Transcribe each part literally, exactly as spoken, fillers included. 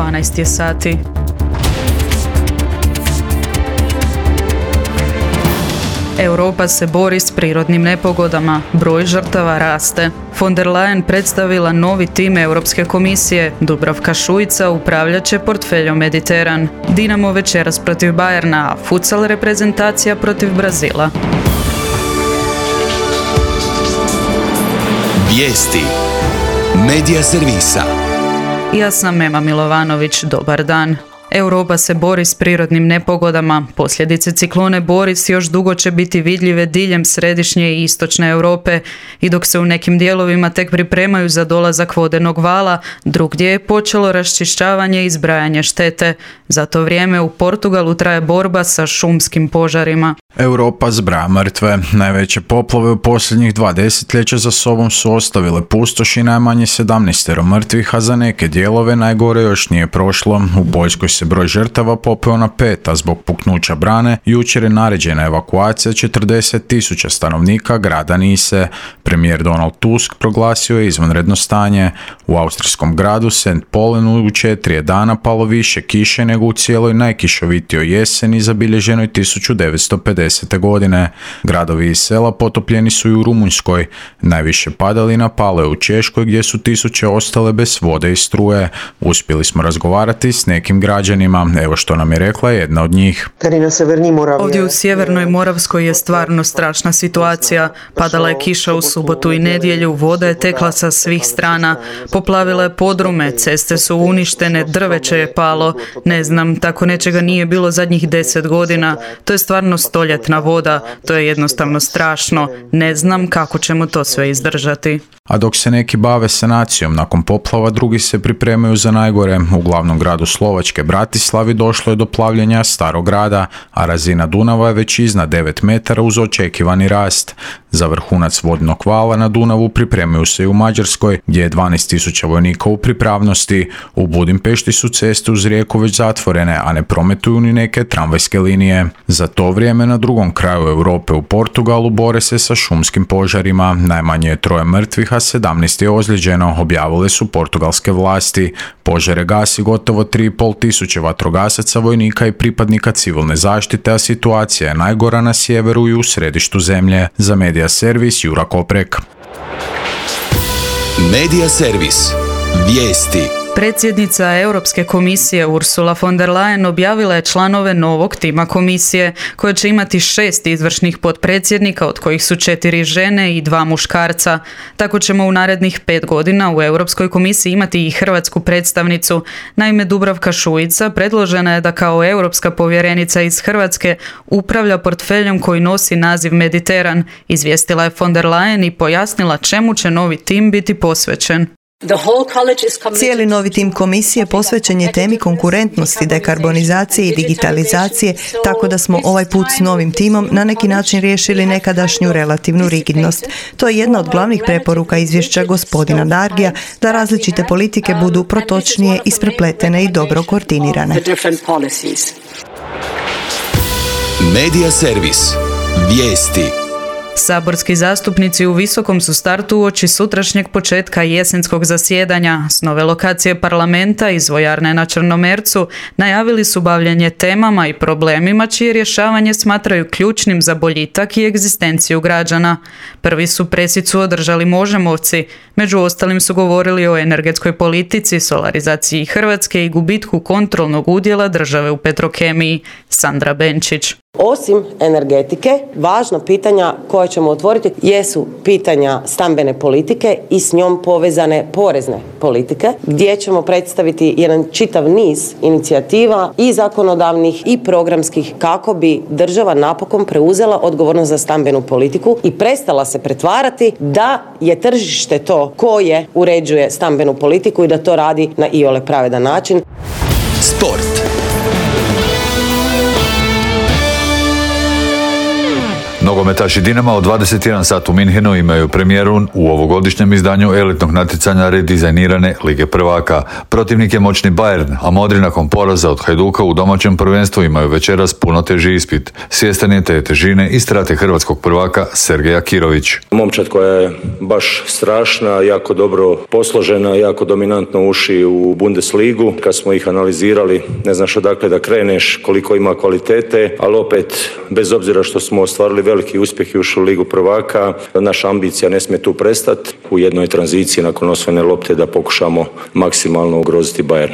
dvanaest je sati. Europa se bori s prirodnim nepogodama, broj žrtava raste. Von der Leyen predstavila novi tim Europske komisije, Dubravka Šuica upravljat će portfeljom Mediteran. Dinamo večeras protiv Bayerna, a futsal reprezentacija protiv Brazila. Vijesti Medija servisa. Ja sam Ema Milovanović, dobar dan. Europa se bori s prirodnim nepogodama. Posljedice ciklone Boris još dugo će biti vidljive diljem središnje i istočne Europe i dok se u nekim dijelovima tek pripremaju za dolazak vodenog vala, drugdje je počelo raščišćavanje i zbrajanje štete. Za to vrijeme u Portugalu traje borba sa šumskim požarima. Europa zbraja mrtve. Najveće poplave u posljednjih dva desetljeća za sobom su ostavile pustoš i najmanje sedamnaestero mrtvih, a za neke dijelove najgore još nije prošlo. U Poljskoj se broj žrtava popeo na pet, a zbog puknuća brane jučer je naređena evakuacija četrdeset tisuća stanovnika grada Nise. Premijer Donald Tusk proglasio je izvanredno stanje. U austrijskom gradu Saint Pollenu u četiri je dana palo više kiše nego u cijeloj najkišovitijoj jeseni zabilježenoj tisuću devetsto pedesete. godine. Gradovi i sela potopljeni su i u Rumunjskoj. Najviše padalina palo je u Češkoj gdje su tisuće ostale bez vode i struje. Uspjeli smo razgovarati s nekim građanima. Evo što nam je rekla jedna od njih. Ovdje u sjevernoj Moravskoj je stvarno strašna situacija. Padala je kiša u subotu i nedjelju, voda je tekla sa svih strana. Poplavila je podrume, ceste su uništene, drveće je palo. Ne znam, tako nečega nije bilo zadnjih deset godina. To je stvarno stoljetna voda. To je jednostavno strašno. Ne znam kako ćemo to sve izdržati. A dok se neki bave sanacijom nakon poplava, drugi se pripremaju za najgore. U glavnom gradu Slovačke Bratislavi došlo je do plavljenja starog grada, a razina Dunava je već iznad devet metara uz očekivani rast. Za vrhunac vodnog vala na Dunavu pripremaju se i u Mađarskoj, gdje je dvanaest tisuća vojnika u pripravnosti. U Budimpešti su ceste uz rijeku već zatvorene, a ne prometuju ni neke tramvajske linije. Za to vrijeme na drugom kraju Europe u Portugalu bore se sa šumskim požarima. Najmanje je troje mrtvih, a sedamnaest je ozlijeđeno, objavile su portugalske vlasti. Požare gasi gotovo tri i pol tisuće vatrogasaca, vojnika i pripadnika civilne zaštite, a situacija je najgora na sjeveru i u središtu zemlje. Za Medija servis Jura Koprek. Medija servis. Vijesti. Predsjednica Europske komisije Ursula von der Leyen objavila je članove novog tima komisije, koje će imati šest izvršnih potpredsjednika, od kojih su četiri žene i dva muškarca. Tako ćemo u narednih pet godina u Europskoj komisiji imati i hrvatsku predstavnicu. Naime, Dubravka Šuica predložena je da kao europska povjerenica iz Hrvatske upravlja portfeljom koji nosi naziv Mediteran. Izvijestila je von der Leyen i pojasnila čemu će novi tim biti posvećen. Cijeli novi tim komisije posvećen je temi konkurentnosti, dekarbonizacije i digitalizacije, tako da smo ovaj put s novim timom na neki način riješili nekadašnju relativnu rigidnost. To je jedna od glavnih preporuka izvješća gospodina Dargija, da različite politike budu protočnije, isprepletene i dobro koordinirane. Medija servis. Vijesti. Saborski zastupnici u visokom su startu uoči sutrašnjeg početka jesenskog zasjedanja. S nove lokacije parlamenta iz vojarne na Črnomercu najavili su bavljenje temama i problemima čije rješavanje smatraju ključnim za boljitak i egzistenciju građana. Prvi su presicu održali Možemovci, među ostalim su govorili o energetskoj politici, solarizaciji Hrvatske i gubitku kontrolnog udjela države u Petrokemiji. Sandra Benčić. Osim energetike, važna pitanja koja ćemo otvoriti jesu pitanja stambene politike i s njom povezane porezne politike, gdje ćemo predstaviti jedan čitav niz inicijativa i zakonodavnih i programskih kako bi država napokon preuzela odgovornost za stambenu politiku i prestala se pretvarati da je tržište to koje uređuje stambenu politiku i da to radi na iole pravedan način. Sport. Nogometaši Dinama od dvadeset jedan sat u Minhenu imaju premijeru u ovogodišnjem izdanju elitnog natjecanja redizajnirane Lige prvaka. Protivnik je moćni Bayern, a modri nakon poraza od Hajduka u domaćem prvenstvu imaju večeras puno teži ispit. Svjestan je te težine i strate hrvatskog prvaka Sergeja Kirović. Momčad koja je baš strašna, jako dobro posložena, jako dominantno uši u Bundesligu. Kad smo ih analizirali, ne znaš odakle da kreneš, koliko ima kvalitete, ali opet, bez obzira što smo ostvarili veliki uspjeh i ušli u Ligu prvaka, naša ambicija ne smije tu prestati. U jednoj tranziciji nakon osvojene lopte da pokušamo maksimalno ugroziti Bayern.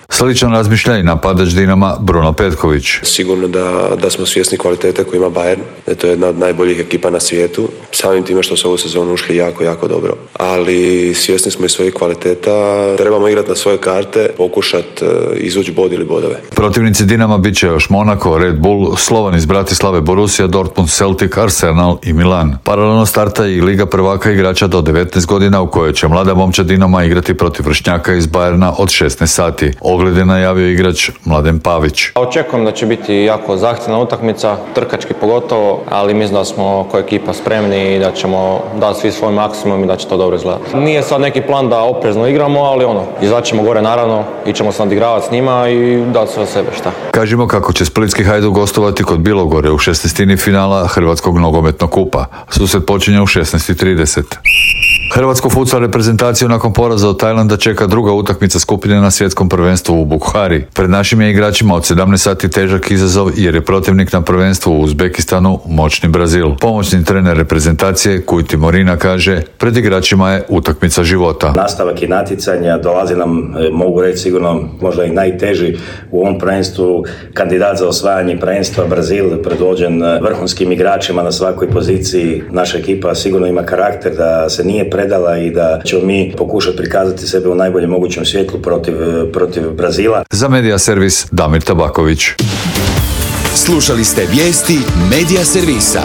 Sličan razmišlja i napadač Dinama Bruno Petković. Sigurno da, da smo svjesni kvalitete koju ima Bayern, da je to jedna od najboljih ekipa na svijetu. Samim time što su ovu sezonu ušli jako, jako dobro. Ali svjesni smo i svojih kvaliteta, trebamo igrati na svoje karte, pokušati izvući bod ili bodove. Protivnici Dinama bit će još Monaco, Red Bull, Slovan iz Bratislave, Borussia, Dortmund, Celtic, Arsenal i Milan. Paralelno starta i Liga prvaka igrača do devetnaest godina u kojoj će mlada momčad Dinama igrati protiv vršnjaka iz Bayerna od šesnaest sati. Ogled je najavio igrač Mladen Pavić. Očekujem da će biti jako zahtjevna utakmica, trkački pogotovo, ali mislim da smo kao ekipa spremni i da ćemo dati svi svoj maksimum i da će to dobro izgledati. Nije sad neki plan da oprezno igramo, ali ono, izaćemo gore naravno, ićemo se nadigravati s njima i dati sve od sebe, šta. Kažimo kako će splitski Hajduk gostovati kod Bilogore u šesnaestini finala Hrvatskog nogometnog kupa. Susret počinje u šesnaest i trideset. Hrvatsku futsal reprezentaciju nakon poraza od Tajlanda čeka druga utakmica skupine na svjetskom prvenstvu u Bukhari. Pred našim je igračima od sedamnaest sati težak izazov jer je protivnik na prvenstvu u Uzbekistanu moćni Brazil. Pomoćni trener reprezentacije Kujti Morina kaže, pred igračima je utakmica života. Nastavak i natjecanja dolazi nam, mogu reći sigurno, možda i najteži u ovom prvenstvu, kandidat za osvajanje prvenstva Brazil, predvođen vrhunskim igračima na svakoj poziciji. Naša ekipa sigurno ima karakter da se nije predala i da ćemo mi pokušati prikazati sebe u najboljem mogućem svjetlu protiv, protiv Brazila. Za Medija servis Damir Tabaković. Slušali ste vijesti Medija servisa.